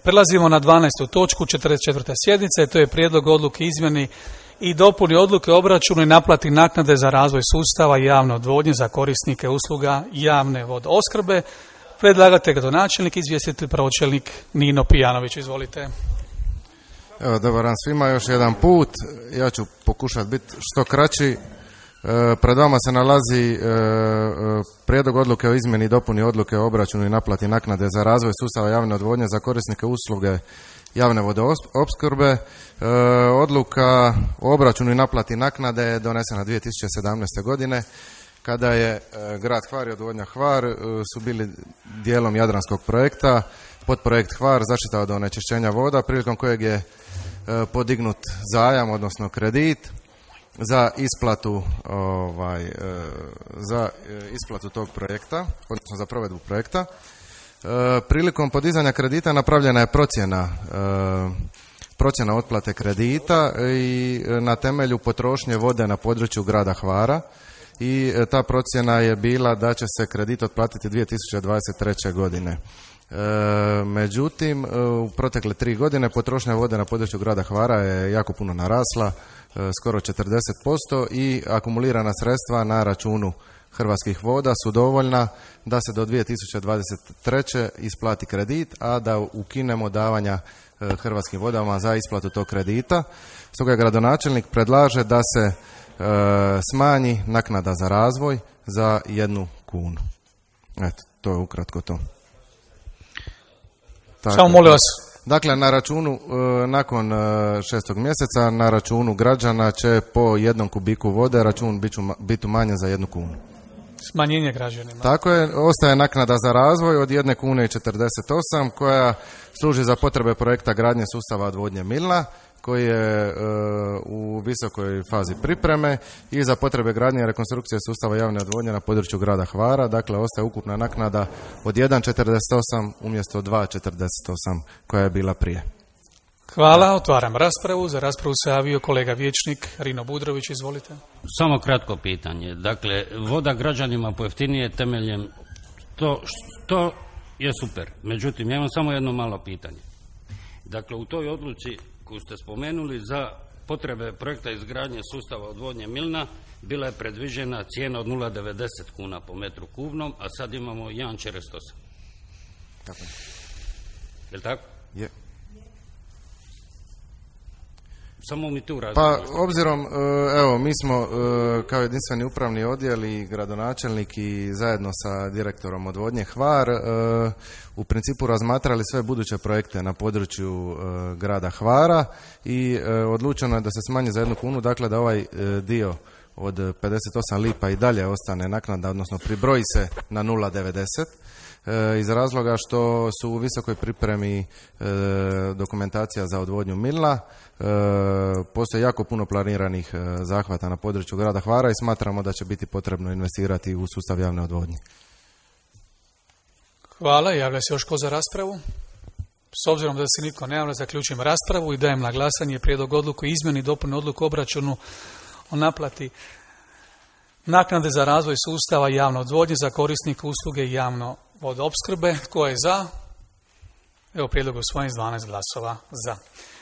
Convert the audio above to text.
Prelazimo na 12. točku 44. sjednice, to je prijedlog odluke izmjeni i dopuni odluke o obračunu i naplati naknade za razvoj sustava javne odvodnje za korisnike usluga javne vodoopskrbe. Predlagatelj gradonačelnik, izvjestitelj pročelnik Nino Pijanović. Izvolite. Evo, dobar dan svima još jedan put. Ja ću pokušati biti što kraći. Pred vama se nalazi prijedlog odluke o izmjeni i dopuni odluke o obračunu i naplati naknade za razvoj sustava javne odvodnje za korisnike usluge javne vodoopskrbe. Odluka o obračunu i naplati naknade je donesena 2017. godine kada je grad Hvar i odvodnja Hvar su bili dijelom jadranskog projekta. Podprojekt Hvar, zaštita od onečišćenja voda, prilikom kojeg je podignut zajam, odnosno kredit za isplatu tog projekta, odnosno za provedbu projekta. Prilikom podizanja kredita napravljena je procjena otplate kredita i na temelju potrošnje vode na području grada Hvara i ta procjena je bila da će se kredit otplatiti 2023. godine. Međutim, u protekle 3 godine potrošnja vode na području grada Hvara je jako puno narasla, skoro 40% i akumulirana sredstva na računu Hrvatskih voda su dovoljna da se do 2023. isplati kredit, a da ukinemo davanja Hrvatskim vodama za isplatu tog kredita. Stoga gradonačelnik predlaže da se smanji naknada za razvoj za 1 kunu. Eto, to je ukratko to. Samo molim vas. Dakle, na računu, nakon 6. mjeseca, na računu građana će po 1 kubiku vode račun biti umanjen za 1 kunu. Smanjenje građanima. Tako je, ostaje naknada za razvoj od 1 kune i 48 koja služi za potrebe projekta gradnje sustava odvodnje Milna, koji je u visokoj fazi pripreme i za potrebe gradnje i rekonstrukcije sustava javne odvodnje na području grada Hvara. Dakle, ostaje ukupna naknada od 1,48 umjesto 2,48 koja je bila prije. Hvala, otvaram raspravu. Za raspravu se javio kolega vijećnik Rino Budrović, izvolite. Samo kratko pitanje. Dakle, voda građanima pojeftinije temeljem to je super. Međutim, ja imam samo jedno malo pitanje. Dakle, u toj odluci koju ste spomenuli za potrebe projekta izgradnje sustava odvodnje Milna bila je predviđena cijena od 0,90 kuna po metru kubnom, a sad imamo 1,48. Tako. Je li tako? Je. Samo mi tu Pa, obzirom, evo, mi smo kao jedinstveni upravni odjel i gradonačelnik i zajedno sa direktorom odvodnje Hvar u principu razmatrali sve buduće projekte na području grada Hvara i odlučeno je da se smanji za 1 kunu, dakle da ovaj dio od 58 lipa i dalje ostane naknada, odnosno pribroji se na 0,90 iz razloga što su u visokoj pripremi dokumentacija za odvodnju Milna. Postoji jako puno planiranih zahvata na području grada Hvara i smatramo da će biti potrebno investirati u sustav javne odvodnje. Hvala, javlja se još ko za raspravu? S obzirom da se nitko ne javlja, zaključujem raspravu i dajem na glasanje prijedlog odluku izmjeni i dopuni odluku o obračunu o naplati naknade za razvoj sustava javne odvodnje za korisnike usluge javno vodoopskrbe. Tko je za? Evo, prijedlog je usvojen s 12 glasova za.